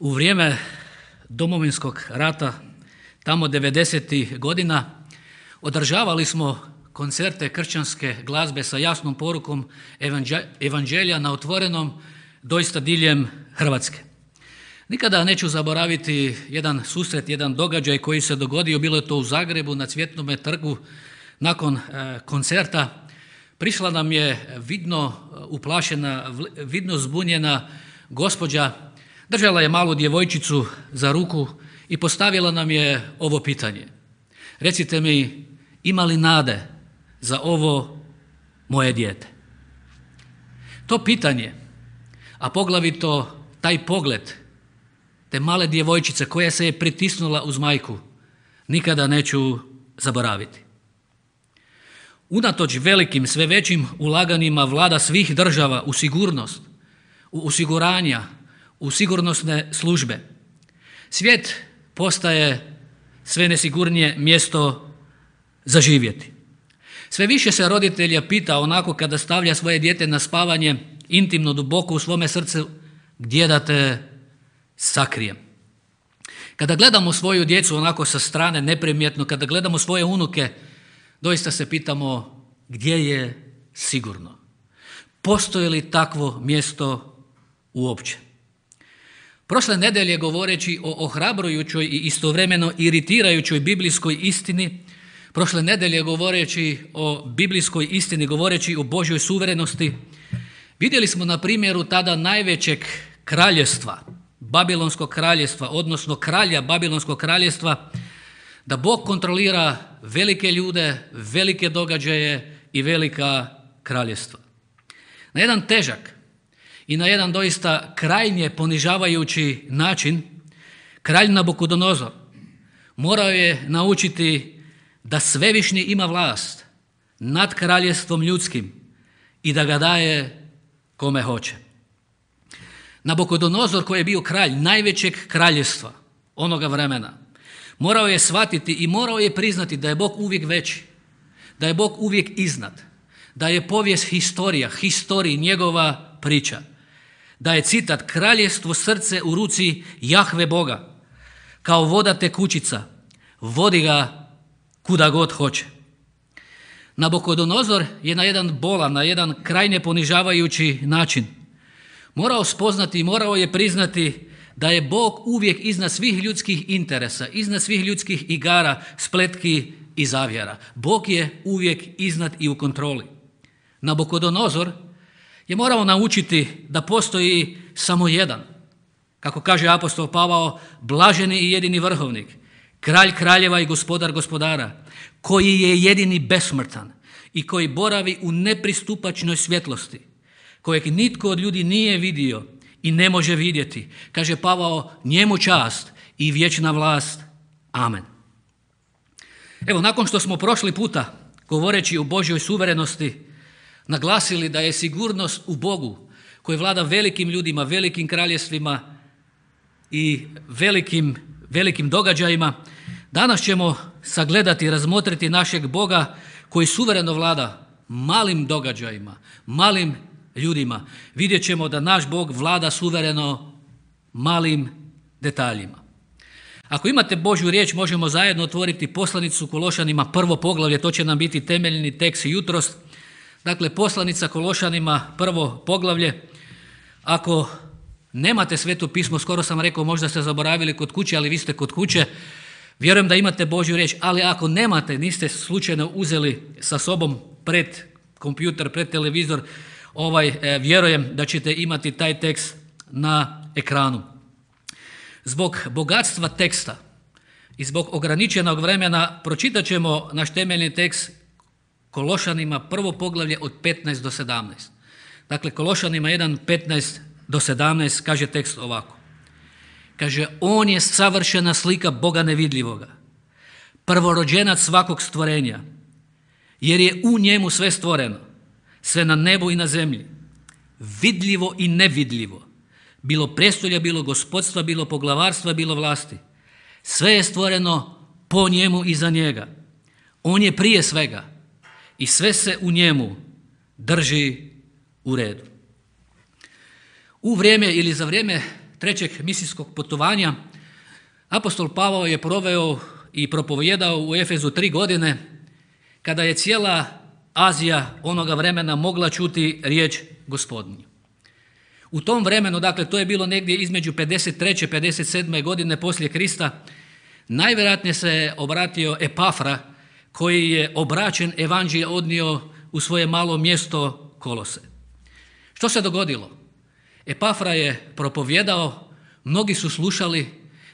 U vrijeme Domovinskog rata, tamo 90. godina, održavali smo koncerte kršćanske glazbe sa jasnom porukom evanđelja na otvorenom, doista diljem Hrvatske. Nikada neću zaboraviti jedan susret, jedan događaj koji se dogodio, bilo je to u Zagrebu na Cvjetnome trgu. Nakon koncerta prišla nam je vidno uplašena, vidno zbunjena gospođa, držala je malu djevojčicu za ruku i postavila nam je ovo pitanje. Recite mi, ima li nade za ovo moje dijete? To pitanje, a poglavito taj pogled te male djevojčice koja se je pritisnula uz majku, nikada neću zaboraviti. Unatoč velikim, sve većim ulaganjima vlada svih država u sigurnost, u osiguranja, u sigurnosne službe, svijet postaje sve nesigurnije mjesto za živjeti. Sve više se roditelja pita onako kada stavlja svoje dijete na spavanje, intimno, duboko u svome srcu, gdje da te sakrijem. Kada gledamo svoju djecu onako sa strane, neprimjetno, kada gledamo svoje unuke, doista se pitamo gdje je sigurno. Postoji li takvo mjesto uopće? Prošle nedelje, govoreći o ohrabrujućoj i istovremeno iritirajućoj biblijskoj istini, prošle nedelje govoreći o biblijskoj istini, govoreći o Božjoj suverenosti, vidjeli smo na primjeru tada najvećeg kraljevstva, Babilonskog kraljevstva, odnosno kralja Babilonskog kraljevstva, da Bog kontrolira velike ljude, velike događaje i velika kraljevstva. Na jedan težak i na jedan doista krajnje ponižavajući način, kralj Nabukodonozor morao je naučiti da svevišnji ima vlast nad kraljevstvom ljudskim i da ga daje kome hoće. Nabukodonozor, koji je bio kralj najvećeg kraljevstva onoga vremena, morao je shvatiti i morao je priznati da je Bog uvijek veći, da je Bog uvijek iznad, da je povijest historiji njegova priča, da je citat kraljevstvo srce u ruci Jahve Boga, kao voda tekućica, vodi ga kuda god hoće. Nabukodonozor je na jedan bolan, na jedan krajnje ponižavajući način morao spoznati i morao je priznati da je Bog uvijek iznad svih ljudskih interesa, iznad svih ljudskih igara, spletki i zavjera. Bog je uvijek iznad i u kontroli. Nabukodonozor je morao naučiti da postoji samo jedan, kako kaže apostol Pavao, blaženi i jedini vrhovnik, kralj kraljeva i gospodar gospodara, koji je jedini besmrtan i koji boravi u nepristupačnoj svjetlosti, kojeg nitko od ljudi nije vidio i ne može vidjeti. Kaže Pavao, njemu čast i vječna vlast. Amen. Evo, nakon što smo prošli puta, govoreći o Božjoj suverenosti, naglasili da je sigurnost u Bogu, koji vlada velikim ljudima, velikim kraljevstvima i velikim događajima, danas ćemo sagledati, razmotriti našeg Boga koji suvereno vlada malim događajima, malim ljudima. Vidjet ćemo da naš Bog vlada suvereno malim detaljima. Ako imate Božju riječ, možemo zajedno otvoriti poslanicu Kološanima, prvo poglavlje, to će nam biti temeljni tekst jutros. Dakle, poslanica Kološanima, prvo poglavlje. Ako nemate Sveto pismo, skoro sam rekao, možda ste zaboravili kod kuće, ali vi ste kod kuće, vjerujem da imate Božju riječ, ali ako nemate, niste slučajno uzeli sa sobom pred kompjuter, pred televizor, vjerujem da ćete imati taj tekst na ekranu. Zbog bogatstva teksta i zbog ograničenog vremena pročitat ćemo naš temeljni tekst Kološanima, prvo poglavlje od 15 do 17. Dakle, Kološanima 1, 15 do 17 kaže tekst ovako. Kaže, on je savršena slika Boga nevidljivoga, prvorođenac svakog stvorenja, jer je u njemu sve stvoreno, sve na nebu i na zemlji, vidljivo i nevidljivo, bilo prestolja, bilo gospodstva, bilo poglavarstva, bilo vlasti. Sve je stvoreno po njemu i za njega. On je prije svega i sve se u njemu drži u redu. U vrijeme ili za vrijeme trećeg misijskog putovanja, apostol Pavao je proveo i propovijedao u Efezu 3 godine, kada je cijela Azija onoga vremena mogla čuti riječ Gospodnju. U tom vremenu, dakle to je bilo negdje između 53. i 57. godine poslije Krista, najvjerojatnije se obratio Epafra, koji je obraćen evanđelje odnio u svoje malo mjesto Kolose. Što se dogodilo? Epafra je propovijedao, mnogi su slušali,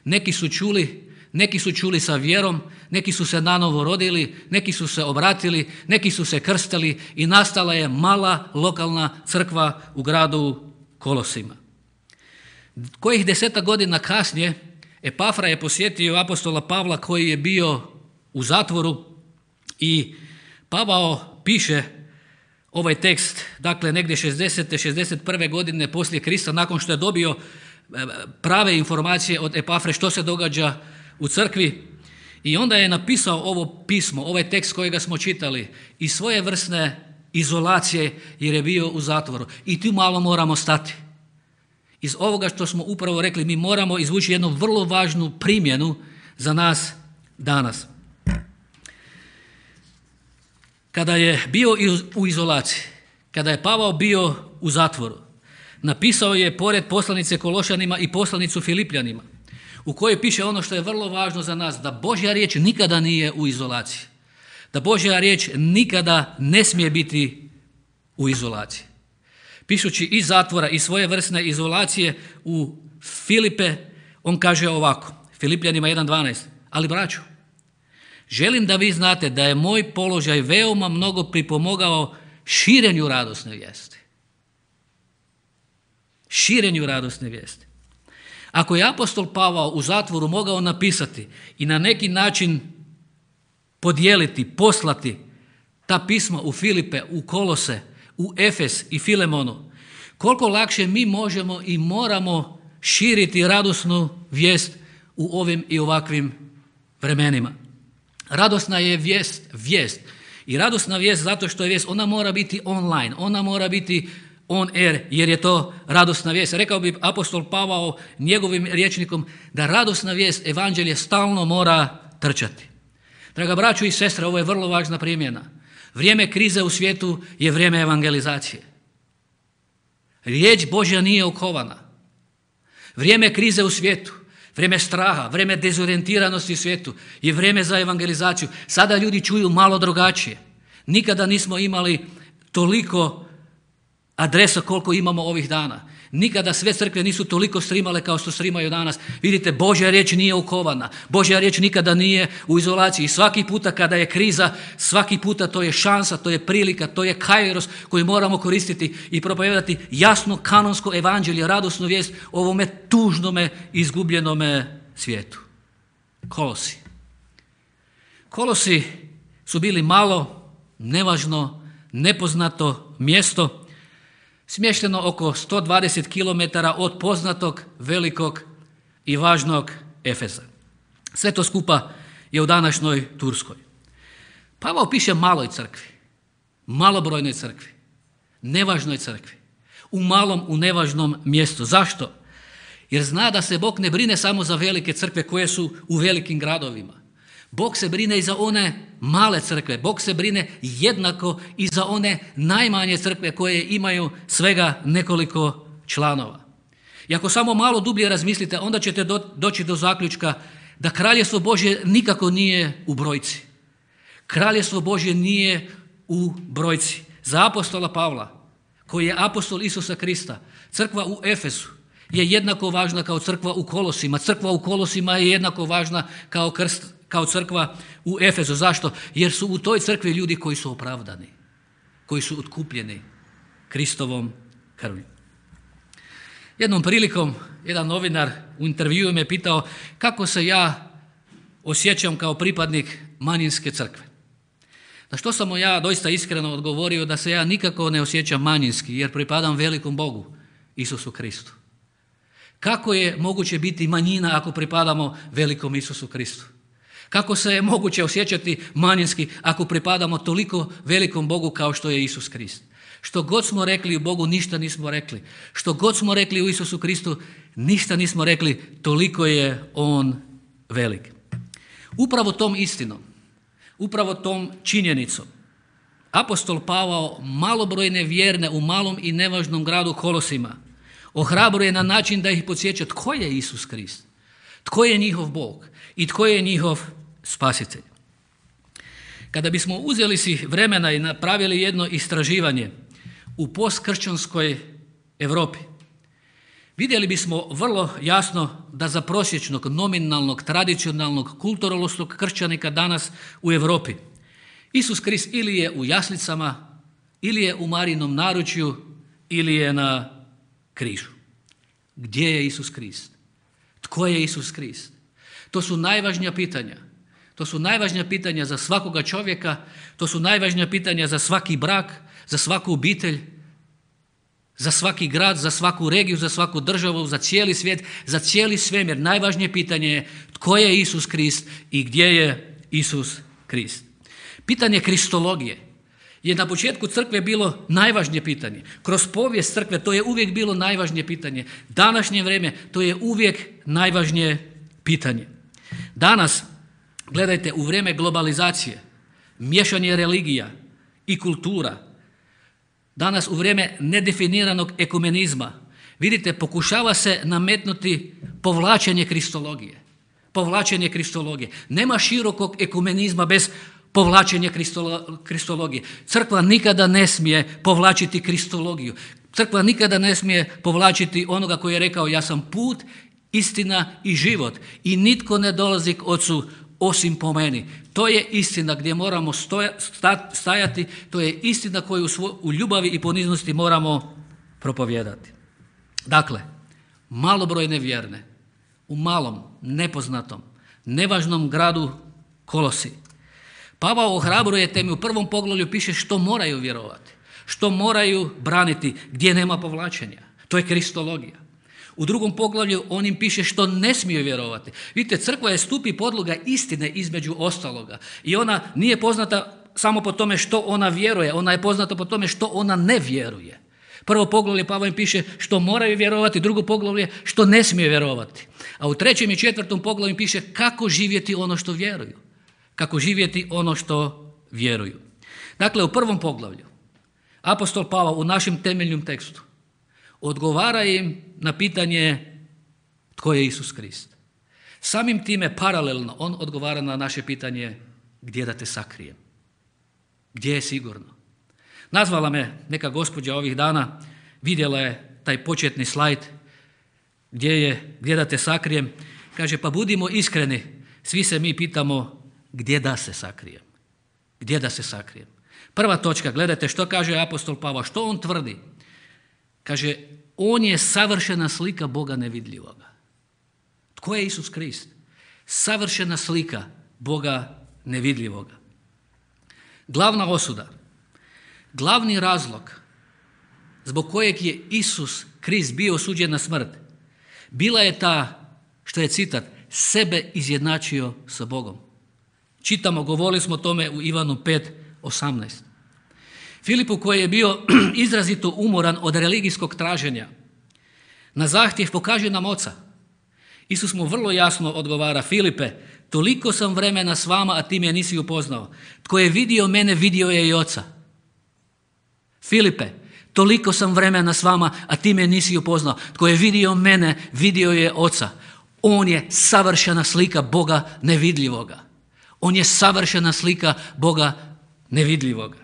neki su čuli sa vjerom, neki su se nanovo rodili, neki su se obratili, neki su se krstili i nastala je mala lokalna crkva u gradu Kolosima. Kojih 10 godina kasnije Epafra je posjetio apostola Pavla koji je bio u zatvoru i Pavao piše ovaj tekst, dakle negdje 60. 61. godine poslije Krista, nakon što je dobio prave informacije od Epafre što se događa u crkvi, i onda je napisao ovo pismo, ovaj tekst kojega smo čitali, iz svojevrsne izolacije jer je bio u zatvoru. I tu malo moramo stati. Iz ovoga što smo upravo rekli, mi moramo izvući jednu vrlo važnu primjenu za nas danas. Kada je bio u izolaciji, kada je Pavao bio u zatvoru, napisao je pored poslanice Kološanima i poslanicu Filipljanima, u kojoj piše ono što je vrlo važno za nas, da Božja riječ nikada nije u izolaciji, da Božja riječ nikada ne smije biti u izolaciji. Pišući iz zatvora i svoje vrstne izolacije u Filipe, on kaže ovako, Filipljanima 1.12, ali braćo, želim da vi znate da je moj položaj veoma mnogo pripomogao širenju radosne vijesti. Širenju radosne vijesti. Ako je apostol Pavao u zatvoru mogao napisati i na neki način podijeliti, poslati ta pisma u Filipe, u Kolose, u Efes i Filemonu, koliko lakše mi možemo i moramo širiti radosnu vijest u ovim i ovakvim vremenima. Radosna je vijest. I radosna vijest zato što je vijest, ona mora biti online, ona mora biti on air, jer je to radosna vijest. Rekao bi apostol Pavao njegovim rječnikom da radosna vijest, evanđelje stalno mora trčati. Draga braćo i sestre, ovo je vrlo važna primjena. Vrijeme krize u svijetu je vrijeme evangelizacije. Riječ Božja nije okovana. Vrijeme krize u svijetu, vrijeme straha, vrijeme dezorijentiranosti u svijetu je vrijeme za evangelizaciju. Sada ljudi čuju malo drugačije. Nikada nismo imali toliko adresa koliko imamo ovih dana. Nikada sve crkve nisu toliko streamale kao što streamaju danas. Vidite, Božja riječ nije okovana. Božja riječ nikada nije u izolaciji. I svaki puta kada je kriza, svaki puta to je šansa, to je prilika, to je kairos koji moramo koristiti i propovijedati jasno kanonsko evanđelje, radosnu vijest o ovome tužnome, izgubljenome svijetu. Kolosi su bili malo, nevažno, nepoznato mjesto, smješteno oko 120 km od poznatog, velikog i važnog Efesa. Sve to skupa je u današnjoj Turskoj. Pavao piše maloj crkvi, malobrojnoj crkvi, nevažnoj crkvi, u malom, u nevažnom mjestu. Zašto? Jer zna da se Bog ne brine samo za velike crkve koje su u velikim gradovima. Bog se brine i za one male crkve. Bog se brine jednako i za one najmanje crkve koje imaju svega nekoliko članova. I ako samo malo dublje razmislite, onda ćete doći do zaključka da kraljestvo Božje nikako nije u brojci. Kraljestvo Božje nije u brojci. Za apostola Pavla, koji je apostol Isusa Krista, crkva u Efesu je jednako važna kao crkva u Kolosima. Crkva u Kolosima je jednako važna kao crkva u Efezu. Zašto? Jer su u toj crkvi ljudi koji su opravdani, koji su otkupljeni Kristovom krvlju. Jednom prilikom jedan novinar u intervjuu me pitao kako se ja osjećam kao pripadnik manjinske crkve. Na što sam mu ja doista iskreno odgovorio da se ja nikako ne osjećam manjinski jer pripadam velikom Bogu, Isusu Kristu. Kako je moguće biti manjina ako pripadamo velikom Isusu Kristu? Kako se je moguće osjećati manjinski ako pripadamo toliko velikom Bogu kao što je Isus Krist? Što god smo rekli u Bogu, ništa nismo rekli. Što god smo rekli u Isusu Kristu, ništa nismo rekli, toliko je On velik. Upravo tom istinom, upravo tom činjenicom, apostol Pavao malobrojne vjerne u malom i nevažnom gradu Kolosima ohrabruje na način da ih podsjeća tko je Isus Krist, tko je njihov Bog i tko je njihov spasitelj. Kada bismo uzeli si vremena i napravili jedno istraživanje u postkršćanskoj Europi, vidjeli bismo vrlo jasno da za prosječnog, nominalnog, tradicionalnog, kulturološkog kršćanika danas u Europi Isus Krist ili je u jaslicama, ili je u Marijinom naručju, ili je na križu. Gdje je Isus Krist? Tko je Isus Krist? To su najvažnija pitanja. To su najvažnija pitanja za svakoga čovjeka, to su najvažnija pitanja za svaki brak, za svaku obitelj, za svaki grad, za svaku regiju, za svaku državu, za cijeli svijet, za cijeli svemir. Najvažnije pitanje je tko je Isus Krist i gdje je Isus Krist. Pitanje kristologije je na početku crkve bilo najvažnije pitanje. Kroz povijest crkve to je uvijek bilo najvažnije pitanje. Današnje vrijeme to je uvijek najvažnije pitanje. Danas, gledajte, u vrijeme globalizacije, miješanje religija i kultura, danas u vrijeme nedefiniranog ekumenizma, vidite, pokušava se nametnuti povlačenje kristologije. Povlačenje kristologije. Nema širokog ekumenizma bez povlačenja kristologije. Crkva nikada ne smije povlačiti kristologiju. Crkva nikada ne smije povlačiti onoga koji je rekao ja sam put, istina i život i nitko ne dolazi k Ocu osim po meni. To je istina gdje moramo stajati, to je istina koju u ljubavi i poniznosti moramo propovijedati. Dakle, malobrojne vjerne u malom, nepoznatom, nevažnom gradu Kolosi. Pavao ohrabruje, te mi u prvom poglavlju piše što moraju vjerovati, što moraju braniti, gdje nema povlačenja. To je kristologija. U drugom poglavlju on im piše što ne smiju vjerovati. Vidite, crkva je stup i podloga istine između ostaloga. I ona nije poznata samo po tome što ona vjeruje, ona je poznata po tome što ona ne vjeruje. Prvo poglavlje Pavao im piše što moraju vjerovati, drugo poglavlje što ne smiju vjerovati. A u trećem i četvrtom poglavlju im piše kako živjeti ono što vjeruju. Kako živjeti ono što vjeruju. Dakle, u prvom poglavlju apostol Pavao u našem temeljnom tekstu odgovara im na pitanje tko je Isus Krist. Samim time paralelno on odgovara na naše pitanje gdje da te sakrijem, gdje je sigurno. Nazvala me neka gospođa ovih dana, vidjela je taj početni slajd gdje da te sakrijem. Kaže, pa budimo iskreni, svi se mi pitamo gdje da se sakrijem. Gdje da se sakrijem? Prva točka, gledajte što kaže apostol Pavao, što on tvrdi. Kaže, on je savršena slika Boga nevidljivoga. Tko je Isus Krist? Savršena slika Boga nevidljivoga. Glavna osuda, glavni razlog zbog kojeg je Isus Krist bio osuđen na smrt, bila je ta, što je citat, sebe izjednačio sa Bogom. Čitamo, govorili smo o tome u Ivanu 5:18. Filipu koji je bio izrazito umoran od religijskog traženja, na zahtjev pokaži nam Oca. Isus mu vrlo jasno odgovara, Filipe, toliko sam vremena s vama, a ti me nisi upoznao. Tko je vidio mene, vidio je i Oca. Filipe, toliko sam vremena s vama, a ti me nisi upoznao. Tko je vidio mene, vidio je Oca. On je savršena slika Boga nevidljivoga. On je savršena slika Boga nevidljivoga.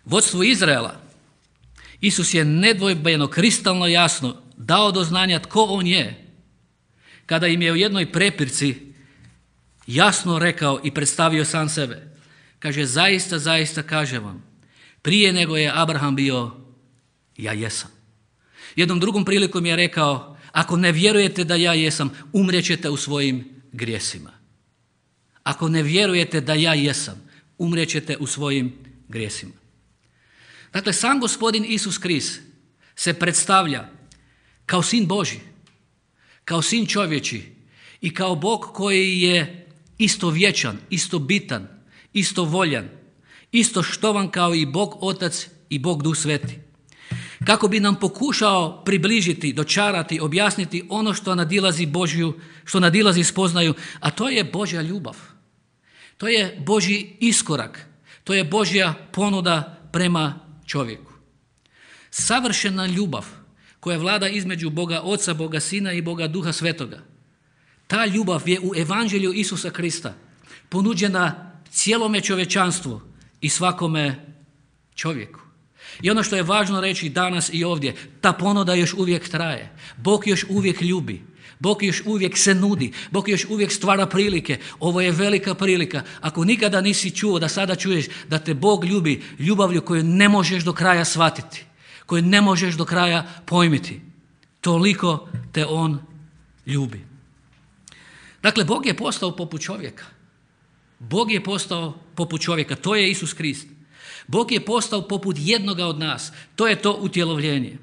Vodstvu Izraela Isus je nedvojbeno, kristalno jasno dao do znanja tko on je, kada im je u jednoj prepirci jasno rekao i predstavio sam sebe. Kaže, zaista, zaista kažem vam, prije nego je Abraham bio, ja jesam. Jednom drugom prilikom je rekao, ako ne vjerujete da ja jesam, umrijećete u svojim grijesima. Ako ne vjerujete da ja jesam, umrijećete u svojim grijesima. Dakle, sam gospodin Isus Krist se predstavlja kao sin Božji, kao sin čovječi i kao Bog koji je istovječan, istobitan, istovoljan isto štovan kao i Bog Otac i Bog Duh Sveti. Kako bi nam pokušao približiti, dočarati, objasniti ono što nadilazi Božju, što nadilazi spoznaju, a to je Božja ljubav. To je Božji iskorak. To je Božja ponuda prema čovjeku. Savršena ljubav koja vlada između Boga Oca, Boga Sina i Boga Duha Svetoga. Ta ljubav je u evanđelju Isusa Krista ponuđena cijelome čovječanstvu i svakome čovjeku. I ono što je važno reći danas i ovdje, ta ponuda još uvijek traje. Bog još uvijek ljubi. Bog još uvijek se nudi. Bog još uvijek stvara prilike. Ovo je velika prilika. Ako nikada nisi čuo, da sada čuješ da te Bog ljubi ljubavlju koju ne možeš do kraja shvatiti, koju ne možeš do kraja pojmiti. Toliko te On ljubi. Dakle, Bog je postao poput čovjeka. Bog je postao poput čovjeka. To je Isus Krist. Bog je postao poput jednoga od nas. To je to utjelovljenje.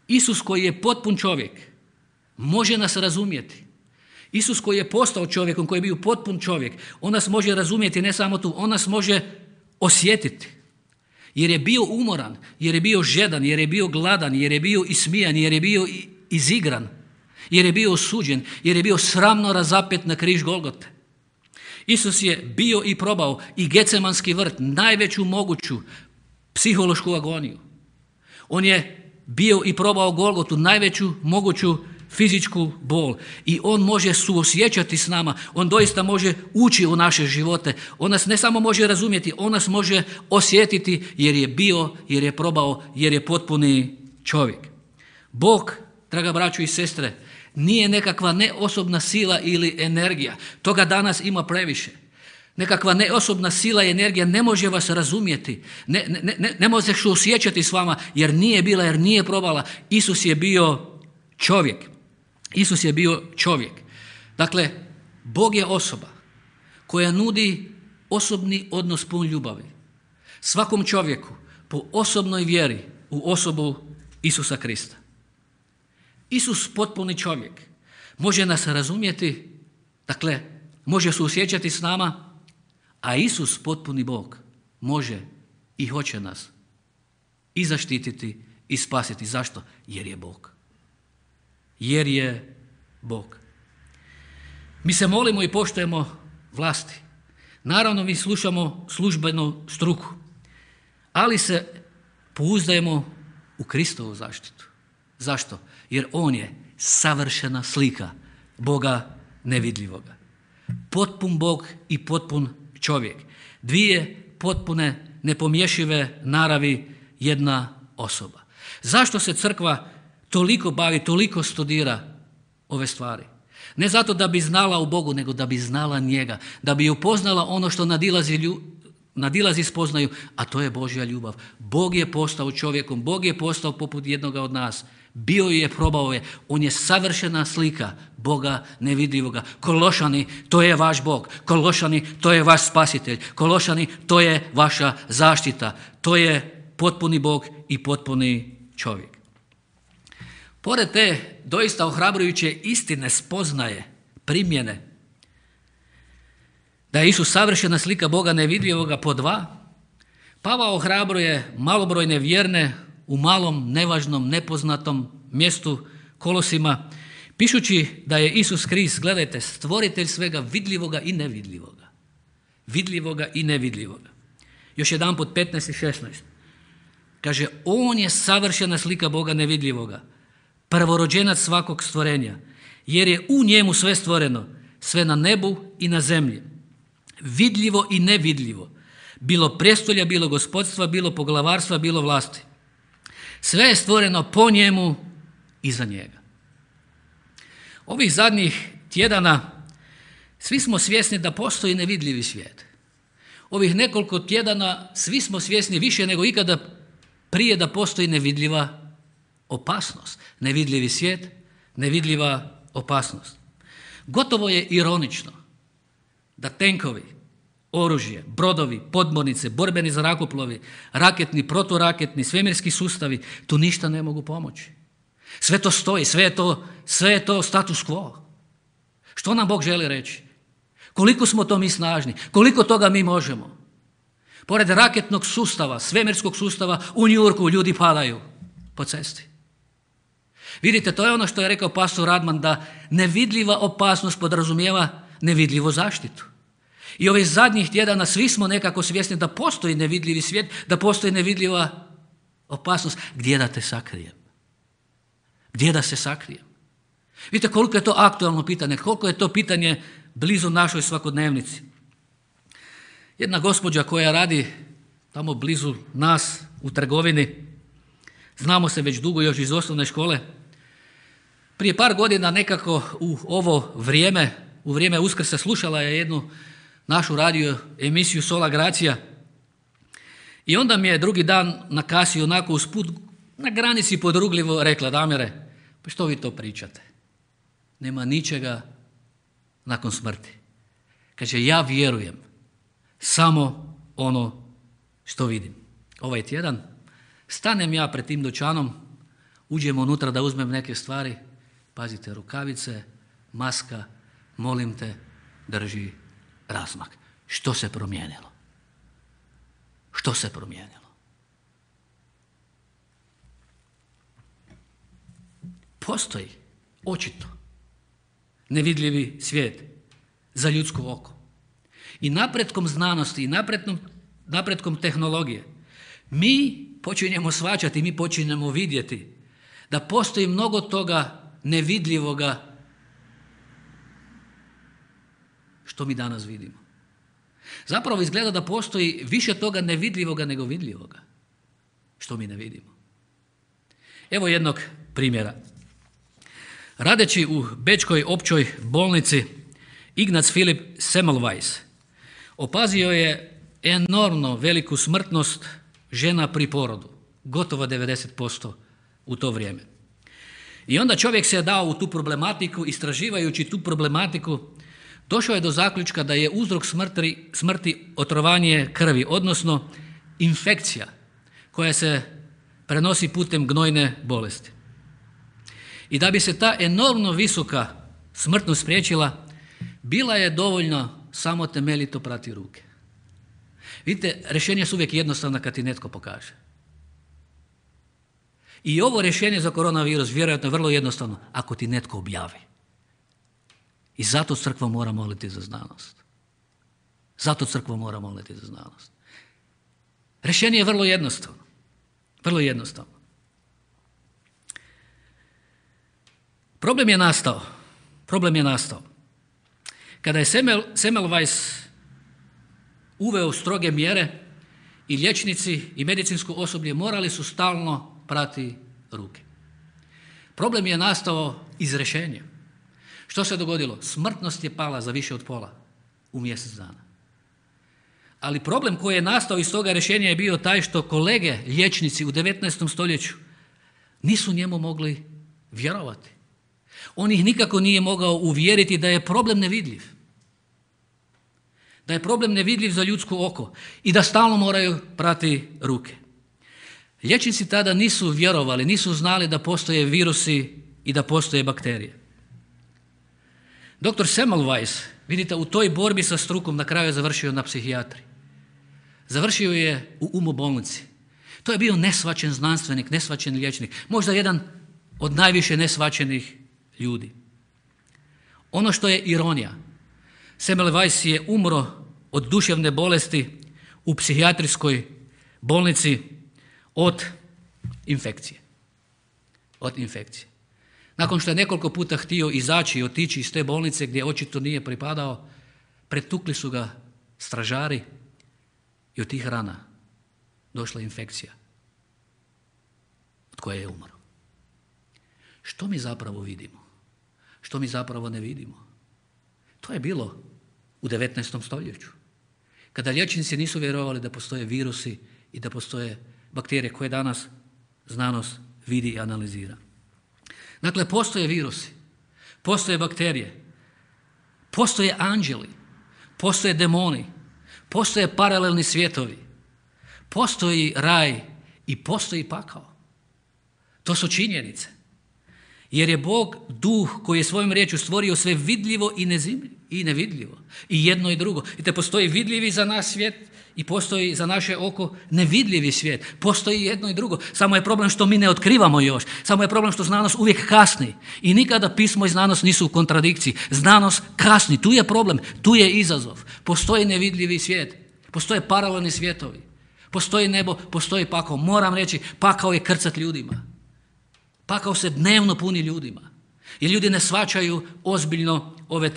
Isus koji je potpun čovjek može nas razumjeti. Isus koji je postao čovjekom, koji je bio potpun čovjek, on nas može razumjeti, ne samo tu, on nas može osjetiti. Jer je bio umoran, jer je bio žedan, jer je bio gladan, jer je bio ismijan, jer je bio izigran, jer je bio osuđen, jer je bio sramno razapet na križ Golgote. Isus je bio i probao i Getsemanski vrt, najveću moguću psihološku agoniju. On je bio i probao Golgotu, najveću moguću fizičku bol. I on može suosjećati s nama, on doista može ući u naše živote. On nas ne samo može razumjeti, on nas može osjetiti jer je bio, jer je probao, jer je potpuni čovjek. Bog, draga braćo i sestre, nije nekakva neosobna sila ili energija. Toga danas ima previše. Nekakva neosobna sila i energija ne može vas razumjeti. Ne može se osjećati s vama jer nije bila, jer nije probala. Isus je bio čovjek. Isus je bio čovjek. Dakle, Bog je osoba koja nudi osobni odnos pun ljubavi svakom čovjeku po osobnoj vjeri u osobu Isusa Krista. Isus, potpuni čovjek, može nas razumjeti, dakle, može se osjećati s nama, a Isus, potpuni Bog, može i hoće nas i zaštititi i spasiti. Zašto? Jer je Bog. Jer je Bog. Mi se molimo i poštujemo vlasti. Naravno, mi slušamo službenu struku, ali se pouzdajemo u Kristovu zaštitu. Zašto? Jer On je savršena slika Boga nevidljivoga. Potpun Bog i potpun čovjek. Dvije potpune, nepomješive naravi, jedna osoba. Zašto se crkva toliko bavi, toliko studira ove stvari? Ne zato da bi znala u Bogu, nego da bi znala njega, da bi upoznala ono što nadilazi spoznaju, a to je Božja ljubav. Bog je postao čovjekom, Bog je postao poput jednoga od nas. Bio je, probao je, on je savršena slika Boga nevidljivoga. Kološani, to je vaš Bog. Kološani, to je vaš spasitelj. Kološani, to je vaša zaštita. To je potpuni Bog i potpuni čovjek. Pored te doista ohrabrujuće istine, spoznaje, primjene, da je Isus savršena slika Boga nevidljivoga po dva, Pavao ohrabruje malobrojne vjerne u malom, nevažnom, nepoznatom mjestu Kolosima, pišući da je Isus Krist, gledajte, stvoritelj svega vidljivoga i nevidljivoga. Vidljivoga i nevidljivoga. Još jedanput 15 i 16. Kaže, on je savršena slika Boga nevidljivoga, prvorođenac svakog stvorenja, jer je u njemu sve stvoreno, sve na nebu i na zemlji, vidljivo i nevidljivo, bilo prestolja, bilo gospodstva, bilo poglavarstva, bilo vlasti. Sve je stvoreno po njemu i za njega. Ovih zadnjih tjedana svi smo svjesni da postoji nevidljivi svijet. Ovih nekoliko tjedana svi smo svjesni više nego ikada prije da postoji nevidljiva opasnost. Nevidljivi svijet, nevidljiva opasnost. Gotovo je ironično da tenkovi, oružje, brodovi, podmornice, borbeni zrakoplovi, raketni, proturaketni, svemirski sustavi, tu ništa ne mogu pomoći. Sve to stoji, sve je to status quo. Što nam Bog želi reći? Koliko smo to mi snažni? Koliko toga mi možemo? Pored raketnog sustava, svemirskog sustava, u New Yorku ljudi padaju po cesti. Vidite, to je ono što je rekao pastor Radman, da nevidljiva opasnost podrazumijeva nevidljivu zaštitu. I ovih zadnjih tjedana svi smo nekako svjesni da postoji nevidljivi svijet, da postoji nevidljiva opasnost. Gdje da te sakrijem? Gdje da se sakrijem? Vidite koliko je to aktualno pitanje, koliko je to pitanje blizu našoj svakodnevnici. Jedna gospođa koja radi tamo blizu nas u trgovini, znamo se već dugo još iz osnovne škole, prije par godina nekako u ovo vrijeme, u vrijeme Uskrsa slušala je jednu našu radio emisiju Sola Gracija i onda mi je drugi dan na kasi onako usput na granici podrugljivo rekla: Damire, pa što vi to pričate? Nema ničega nakon smrti. Kaže, ja vjerujem samo ono što vidim. Ovaj tjedan stanem ja pred tim dućanom, uđem unutra da uzmem neke stvari, pazite, rukavice, maska, molim te, drži razmak. Što se promijenilo? Što se promijenilo? Postoji, očito, nevidljivi svijet za ljudsko oko. I napretkom znanosti i napretkom tehnologije mi počinjemo shvaćati, mi počinjemo vidjeti da postoji mnogo toga nevidljivoga što mi danas vidimo. Zapravo izgleda da postoji više toga nevidljivoga nego vidljivoga što mi ne vidimo. Evo jednog primjera. Radeći u Bečkoj općoj bolnici, Ignaz Filip Semmelweis opazio je enormno veliku smrtnost žena pri porodu, gotovo 90% u to vrijeme. I onda čovjek se je dao u tu problematiku, istraživajući tu problematiku, došao je do zaključka da je uzrok smrti otrovanje krvi, odnosno infekcija koja se prenosi putem gnojne bolesti. I da bi se ta enormno visoka smrtnost spriječila, bila je dovoljno samo temeljito prati ruke. Vidite, rješenje su uvijek jednostavna kad ti netko pokaže. I ovo rješenje za koronavirus vjerojatno je vrlo jednostavno ako ti netko objavi. I zato crkva mora moliti za znanost. Zato crkva mora moliti za znanost. Rješenje je vrlo jednostavno. Vrlo jednostavno. Problem je nastao kada je Semmelweis uveo stroge mjere i liječnici i medicinsko osoblje morali su stalno prati ruke. Problem je nastao iz rješenja. Što se dogodilo? Smrtnost je pala za više od pola u mjesec dana. Ali problem koji je nastao iz toga rješenja je bio taj što kolege liječnici u 19. stoljeću nisu njemu mogli vjerovati. On ih nikako nije mogao uvjeriti da je problem nevidljiv. Da je problem nevidljiv za ljudsko oko i da stalno moraju prati ruke. Liječnici tada nisu vjerovali, nisu znali da postoje virusi i da postoje bakterije. Dr. Semmelweis, vidite, u toj borbi sa strukom na kraju je završio na psihijatriji. Završio je u umobolnici. To je bio neshvaćen znanstvenik, neshvaćen liječnik, možda jedan od najviše neshvaćenih ljudi. Ono što je ironija, Semmelweis je umro od duševne bolesti u psihijatrijskoj bolnici od infekcije. Nakon što je nekoliko puta htio izaći i otići iz te bolnice gdje očito nije pripadao, pretukli su ga stražari i od tih rana došla infekcija od koje je umro. Što mi zapravo vidimo? Što mi zapravo ne vidimo? To je bilo u 19. stoljeću, kada liječnici nisu vjerovali da postoje virusi i da postoje bakterije koje danas znanost vidi i analizira. Dakle, postoje virusi, postoje bakterije, postoje anđeli, postoje demoni, postoje paralelni svijetovi, postoji raj i postoji pakao. To su činjenice. Jer je Bog duh koji je svojom riječju stvorio sve vidljivo i nevidljivo. I jedno i drugo. I te postoji vidljivi za nas svijet i postoji za naše oko nevidljivi svijet. Postoji jedno i drugo. Samo je problem što mi ne otkrivamo još. Samo je problem što znanost uvijek kasni. I nikada pismo i znanost nisu u kontradikciji. Znanost kasni. Tu je problem. Tu je izazov. Postoji nevidljivi svijet. Postoje paralelni svijetovi. Postoji nebo, postoji pakao. Moram reći, pakao je krcat ljudima. Pakao se dnevno puni ljudima. I ljudi ne shvaćaju ozbiljno ove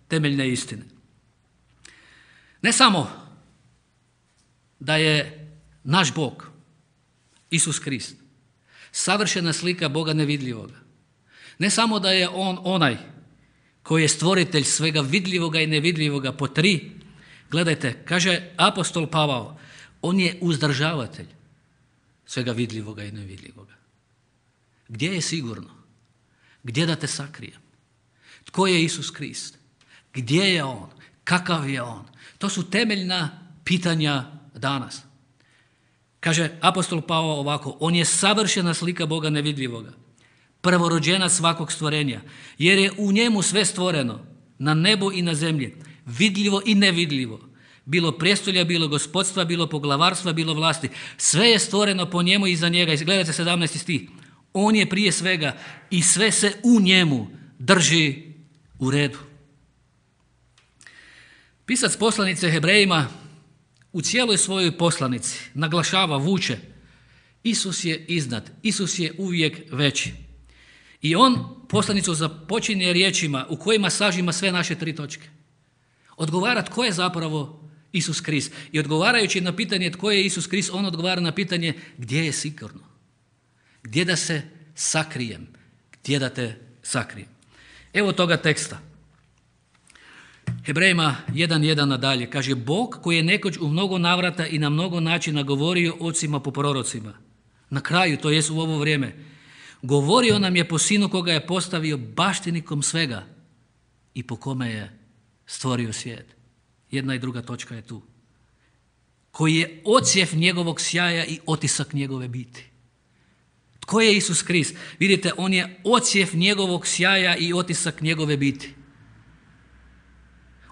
temeljne istine. Ne samo da je naš Bog, Isus Krist, savršena slika Boga nevidljivoga. Ne samo da je On onaj koji je stvoritelj svega vidljivoga i nevidljivoga po tri. Gledajte, kaže apostol Pavao, on je uzdržavatelj svega vidljivoga i nevidljivoga. Gdje je sigurno? Gdje da te sakrijem? Tko je Isus Krist? Gdje je On? Kakav je On? To su temeljna pitanja danas. Kaže apostol Pavao ovako, on je savršena slika Boga nevidljivoga, prvorođena svakog stvorenja, jer je u njemu sve stvoreno, na nebu i na zemlji, vidljivo i nevidljivo, bilo prijestolja, bilo gospodstva, bilo poglavarstva, bilo vlasti. Sve je stvoreno po njemu i za njega. Gledajte 17. stih. On je prije svega i sve se u njemu drži u redu. Pisac poslanice Hebrejima u cijeloj svojoj poslanici naglašava, vuče, Isus je iznad, Isus je uvijek veći. I on poslanicu započinje riječima u kojima sažima sve naše tri točke. Odgovara tko je zapravo Isus Krist. I odgovarajući na pitanje tko je Isus Krist, on odgovara na pitanje gdje je sigurno. Gdje da se sakrijem? Gdje da te sakrijem? Evo toga teksta. Hebrejima 1.1 nadalje. Kaže, Bog koji je nekoć u mnogo navrata i na mnogo načina govorio ocima po prorocima. Na kraju, to jest u ovo vrijeme, govorio nam je po sinu koga je postavio baštinikom svega i po kome je stvorio svijet. Jedna i druga točka je tu. Koji je odsjev njegovog sjaja i otisak njegove biti. Tko je Isus Krist? Vidite, on je odsjev njegovog sjaja i otisak njegove biti.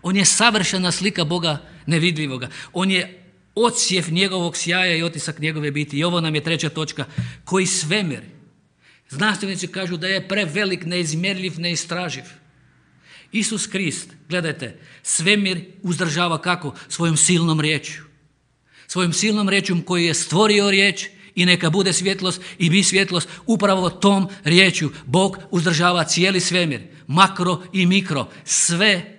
On je savršena slika Boga nevidljivoga. On je odsjev njegovog sjaja i otisak njegove biti. I ovo nam je treća točka. Koji svemir. Znanstvenici kažu da je prevelik, neizmjerljiv, neistraživ. Isus Krist, gledajte, svemir uzdržava kako? Svojom silnom riječju. Svojom silnom riječom koji je stvorio riječ i neka bude svjetlost i bi svjetlost, upravo tom riječju Bog uzdržava cijeli svemir, makro i mikro, sve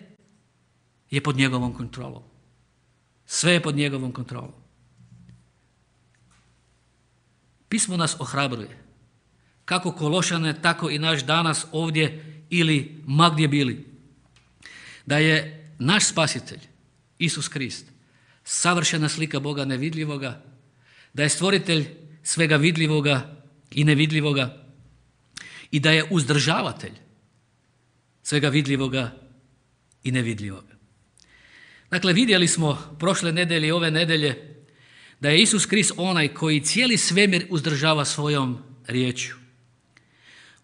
je pod njegovom kontrolom. Sve je pod njegovom kontrolom. Pismo nas ohrabruje. Kako Kološane, tako i naš danas ovdje ili ma gdje bili. Da je naš spasitelj, Isus Krist, savršena slika Boga nevidljivoga, da je stvoritelj svega vidljivoga i nevidljivoga i da je uzdržavatelj svega vidljivoga i nevidljivoga. Dakle, vidjeli smo prošle nedelje i ove nedelje da je Isus Krist onaj koji cijeli svemir uzdržava svojom riječju.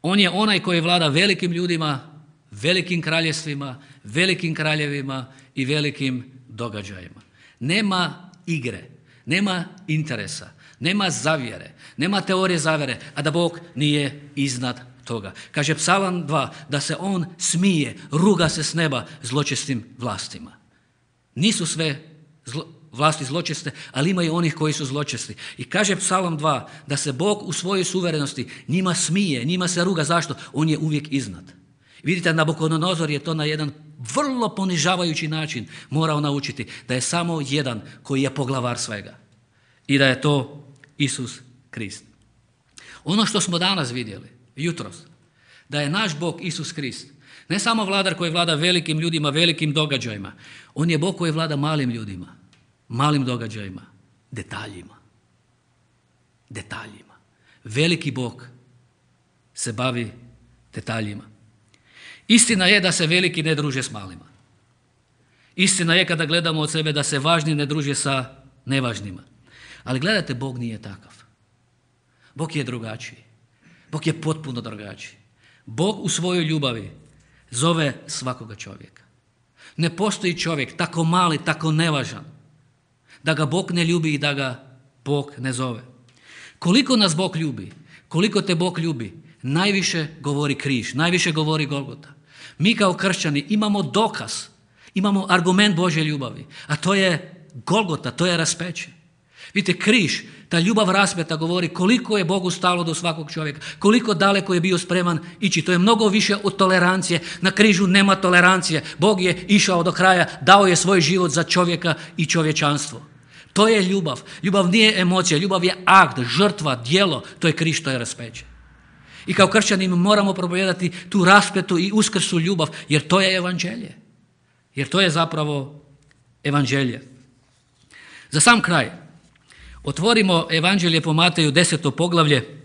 On je onaj koji vlada velikim ljudima, velikim kraljevstvima, velikim kraljevima i velikim događajima. Nema igre, nema interesa, nema zavjere, nema teorije zavjere, a da Bog nije iznad toga. Kaže Psalam 2 da se on smije, ruga se s neba zločestim vlastima. Nisu sve vlasti zločeste, ali ima i onih koji su zločesti. I kaže Psalam 2 da se Bog u svojoj suverenosti njima smije, njima se ruga. Zašto? On je uvijek iznad. Vidite, Nabukodonozor je to na jedan vrlo ponižavajući način morao naučiti da je samo jedan koji je poglavar svega i da je to Isus Krist. Ono što smo danas vidjeli, jutros, da je naš Bog Isus Krist ne samo vladar koji vlada velikim ljudima, velikim događajima, on je Bog koji vlada malim ljudima, malim događajima, detaljima. Veliki Bog se bavi detaljima. Istina je da se veliki ne druže s malima. Istina je kada gledamo od sebe da se važni ne druže sa nevažnima. Ali gledajte, Bog nije takav. Bog je drugačiji. Bog je potpuno drugačiji. Bog u svojoj ljubavi zove svakoga čovjeka. Ne postoji čovjek tako mali, tako nevažan, da ga Bog ne ljubi i da ga Bog ne zove. Koliko nas Bog ljubi, koliko te Bog ljubi, najviše govori križ, najviše govori Golgota. Mi kao kršćani imamo dokaz, imamo argument Božje ljubavi, a to je Golgota, to je raspeće. Vidite, križ, ta ljubav raspeta govori koliko je Bogu stalo do svakog čovjeka, koliko daleko je bio spreman ići. To je mnogo više od tolerancije. Na križu nema tolerancije. Bog je išao do kraja, dao je svoj život za čovjeka i čovječanstvo. To je ljubav. Ljubav nije emocija, ljubav je akt, žrtva, djelo. To je križ, to je raspeće. I kao kršćani moramo propovijedati tu raspetu i uskrslu ljubav, jer to je evanđelje. Jer to je zapravo evanđelje. Za sam kraj, otvorimo evanđelje po Mateju 10. poglavlje,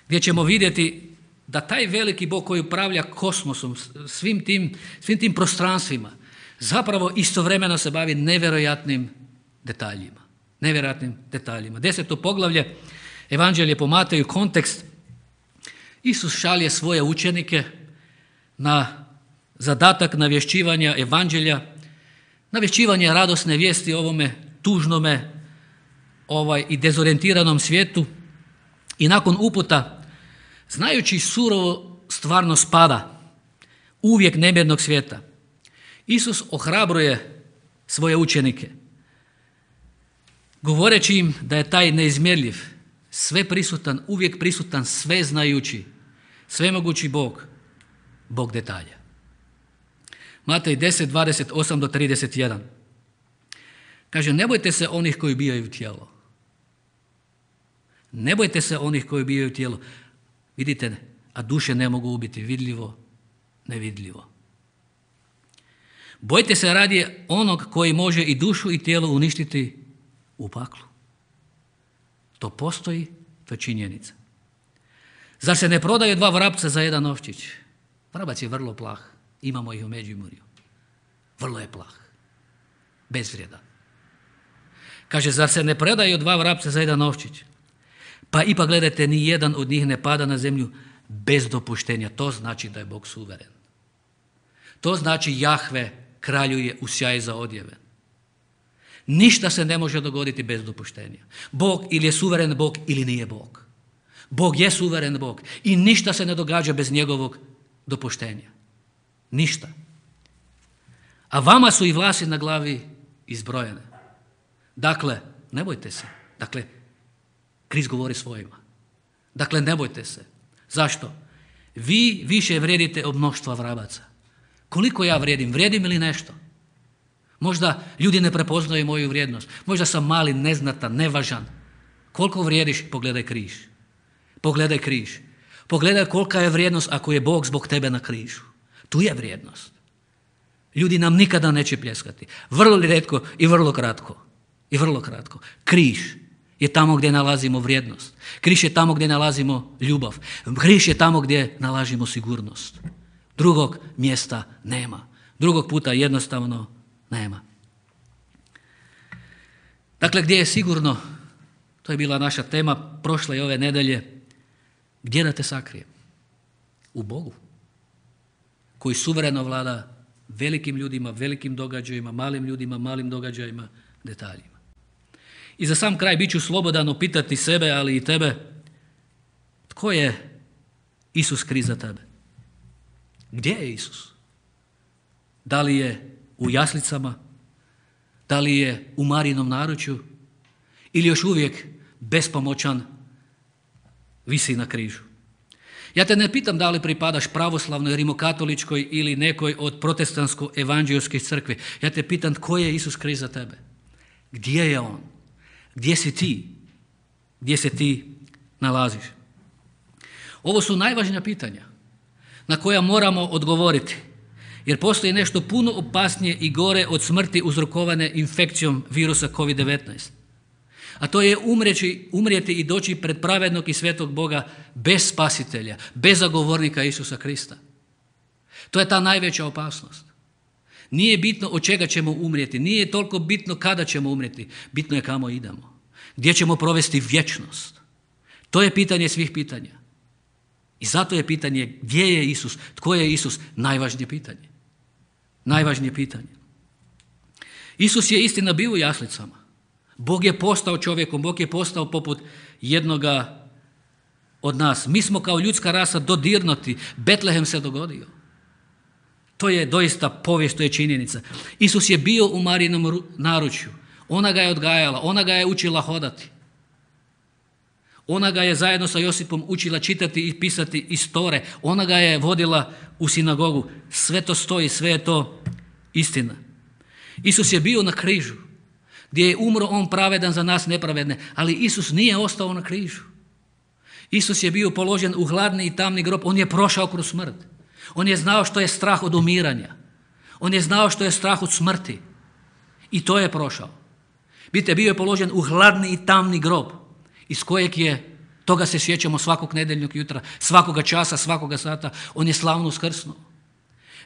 gdje ćemo vidjeti da taj veliki Bog koji upravlja kosmosom, svim tim prostranstvima, zapravo istovremeno se bavi nevjerojatnim detaljima. 10. poglavlje, evanđelje po Mateju, kontekst. Isus šalje svoje učenike na zadatak navješćivanja evanđelja, navješćivanja radosne vijesti ovome tužnome i dezorijentiranom svijetu, i nakon uputa, znajući surovo stvarnost pada, uvijek nemjernog svijeta, Isus ohrabruje svoje učenike, govoreći im da je taj neizmjerljiv, sveprisutan, uvijek prisutan, sveznajući, svemogući Bog detalja. Matej 10, 28 do 31. Kaže, ne bojte se onih koji ubijaju tijelo. Ne bojte se onih koji ubijaju tijelo. Vidite, a duše ne mogu ubiti, vidljivo, nevidljivo. Bojte se radije onog koji može i dušu i tijelo uništiti u paklu. To postoji, to je činjenica. Zar se ne prodaju 2 vrapca za 1 novčić? Vrabac je vrlo plah, imamo ih u Međimurju. Vrlo je plah, bezvrijedan. Kaže, zar se ne predaju 2 vrapca za 1 novčić? Pa ipak gledajte, ni jedan od njih ne pada na zemlju bez dopuštenja. To znači da je Bog suveren. To znači Jahve kraljuje u sjaju za odjeve. Ništa se ne može dogoditi bez dopuštenja. Bog ili je suveren Bog ili nije Bog. Bog je suveren Bog i ništa se ne događa bez njegovog dopuštenja. Ništa. A vama su i vlasi na glavi izbrojene. Dakle, ne bojte se. Dakle, Krist govori svojima. Dakle, ne bojte se. Zašto? Vi više vrijedite od mnoštva vrabaca. Koliko ja vrijedim? Vrijedim ili nešto? Možda ljudi ne prepoznaju moju vrijednost. Možda sam mali, neznatan, nevažan. Koliko vrijediš? Pogledaj križ. Pogledaj križ. Pogledaj kolika je vrijednost ako je Bog zbog tebe na križu. Tu je vrijednost. Ljudi nam nikada neće pljeskati. Vrlo rijetko i vrlo kratko. I vrlo kratko. Križ je tamo gdje nalazimo vrijednost. Križ je tamo gdje nalazimo ljubav. Križ je tamo gdje nalazimo sigurnost. Drugog mjesta nema. Drugog puta jednostavno nema. Dakle, gdje je sigurno, to je bila naša tema prošle i ove nedelje, gdje da te sakrijem? U Bogu, koji suvereno vlada velikim ljudima, velikim događajima, malim ljudima, malim događajima, detaljima. I za sam kraj bit ću slobodan upitati sebe, ali i tebe, tko je Isus Krist za tebe? Gdje je Isus? Da li je u jaslicama? Da li je u Marijinom naručju? Ili još uvijek bespomoćan visi na križu? Ja te ne pitam da li pripadaš pravoslavnoj, rimokatoličkoj ili nekoj od protestantsko-evanđelskih crkvi. Ja te pitam tko je Isus Krist za tebe? Gdje je On? Gdje si ti? Gdje se ti nalaziš? Ovo su najvažnija pitanja na koja moramo odgovoriti. Jer postoji nešto puno opasnije i gore od smrti uzrokovane infekcijom virusa COVID-19. A to je umrijeti i doći pred pravednog i svetog Boga bez spasitelja, bez zagovornika Isusa Krista. To je ta najveća opasnost. Nije bitno od čega ćemo umrijeti, nije toliko bitno kada ćemo umrijeti, bitno je kamo idemo. Gdje ćemo provesti vječnost. To je pitanje svih pitanja. I zato je pitanje gdje je Isus, tko je Isus, najvažnije pitanje. Najvažnije pitanje. Isus je istina bio u jaslicama. Bog je postao čovjekom, Bog je postao poput jednoga od nas. Mi smo kao ljudska rasa dodirnuti. Betlehem se dogodio. To je doista povijest, to je činjenica. Isus je bio u Marijinom naručju. Ona ga je odgajala, ona ga je učila hodati. Ona ga je zajedno sa Josipom učila čitati i pisati iz Tore. Ona ga je vodila u sinagogu. Sve to stoji, sve je to istina. Isus je bio na križu, gdje je umro on pravedan za nas nepravedne, ali Isus nije ostao na križu. Isus je bio položen u hladni i tamni grob, on je prošao kroz smrt. On je znao što je strah od umiranja. On je znao što je strah od smrti. I to je prošao. Vidite, bio je položen u hladni i tamni grob, iz kojeg je, toga se sjećamo svakog nedjeljnog jutra, svakoga časa, svakoga sata, on je slavno uskrsnuo.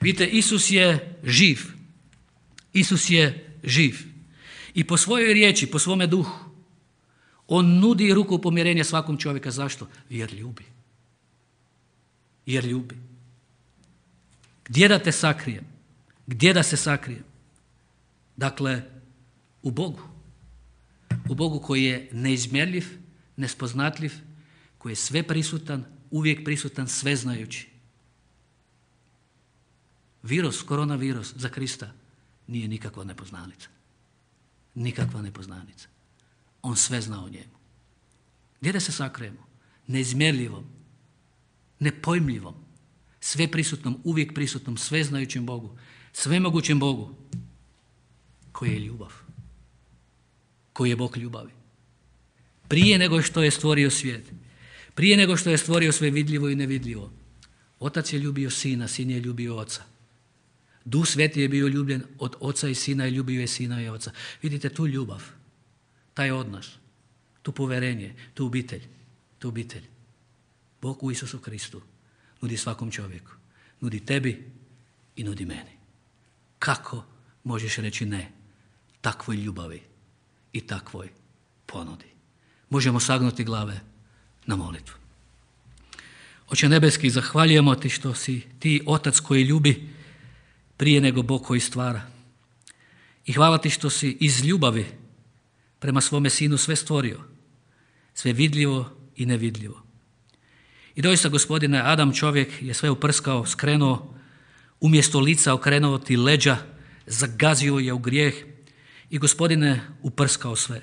Vidite, Isus je živ. Isus je živ. I po svojoj riječi, po svome duhu, on nudi ruku pomirenja svakom čovjeka. Zašto? Jer ljubi. Jer ljubi. Gdje da te sakrijem? Gdje da se sakrijem? Dakle, u Bogu. U Bogu koji je neizmjerljiv, nespoznatljiv, koji je sve prisutan, uvijek prisutan, sveznajući. Virus, koronavirus za Krista nije nikakva nepoznanica. Nikakva nepoznanica. On sve zna o njemu. Gdje da se sakrijemo? Neizmjerljivom, nepojmljivom, sve prisutnom, uvijek prisutnom, sveznajućem Bogu, svemogućem Bogu, koji je ljubav. Koji je Bog ljubavi. Prije nego što je stvorio svijet, prije nego što je stvorio sve vidljivo i nevidljivo, Otac je ljubio Sina, Sin je ljubio Oca. Duh Sveti je bio ljubljen od Oca i Sina i ljubio je Sina i Oca. Vidite tu ljubav, taj odnos, tu poverenje, tu obitelj. Bog u Isusu Kristu nudi svakom čovjeku. Nudi tebi i nudi meni. Kako možeš reći ne takvoj ljubavi i takvoj ponudi? Možemo sagnuti glave na molitvu. Oče nebeski, zahvaljujemo ti što si ti Otac koji ljubi prije nego Bog koji stvara. I hvala ti što si iz ljubavi prema svome Sinu sve stvorio, sve vidljivo i nevidljivo. I doista, Gospodine, Adam čovjek je sve uprskao, skrenuo, umjesto lica okrenuo ti leđa, zagazio je u grijeh i, Gospodine, uprskao sve.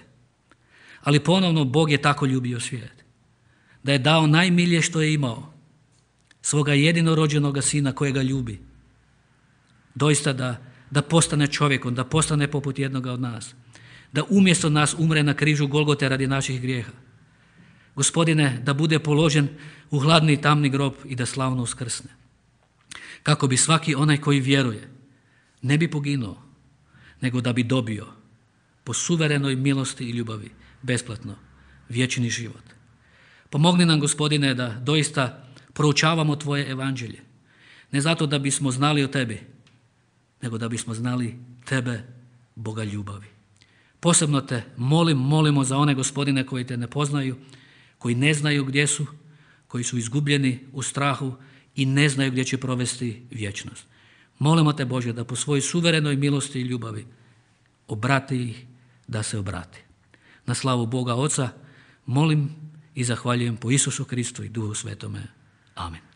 Ali ponovno Bog je tako ljubio svijet, da je dao najmilije što je imao, svoga jedinorođenoga Sina kojega ljubi. Doista da postane čovjekom, da postane poput jednoga od nas, da umjesto nas umre na križu Golgote radi naših grijeha. Gospodine, da bude položen u hladni i tamni grob i da slavno uskrsne. Kako bi svaki onaj koji vjeruje ne bi poginuo, nego da bi dobio po suverenoj milosti i ljubavi besplatno vječni život. Pomogni nam, Gospodine, da doista proučavamo Tvoje evanđelje. Ne zato da bismo znali o Tebi, nego da bismo znali Tebe, Boga ljubavi. Posebno te molimo za one, Gospodine, koji te ne poznaju, koji ne znaju gdje su, koji su izgubljeni u strahu i ne znaju gdje će provesti vječnost. Molimo te, Bože, da po svojoj suverenoj milosti i ljubavi obrati ih, da se obrati. Na slavu Boga Oca molim i zahvaljujem po Isusu Kristu i Duhu Svetome. Amen.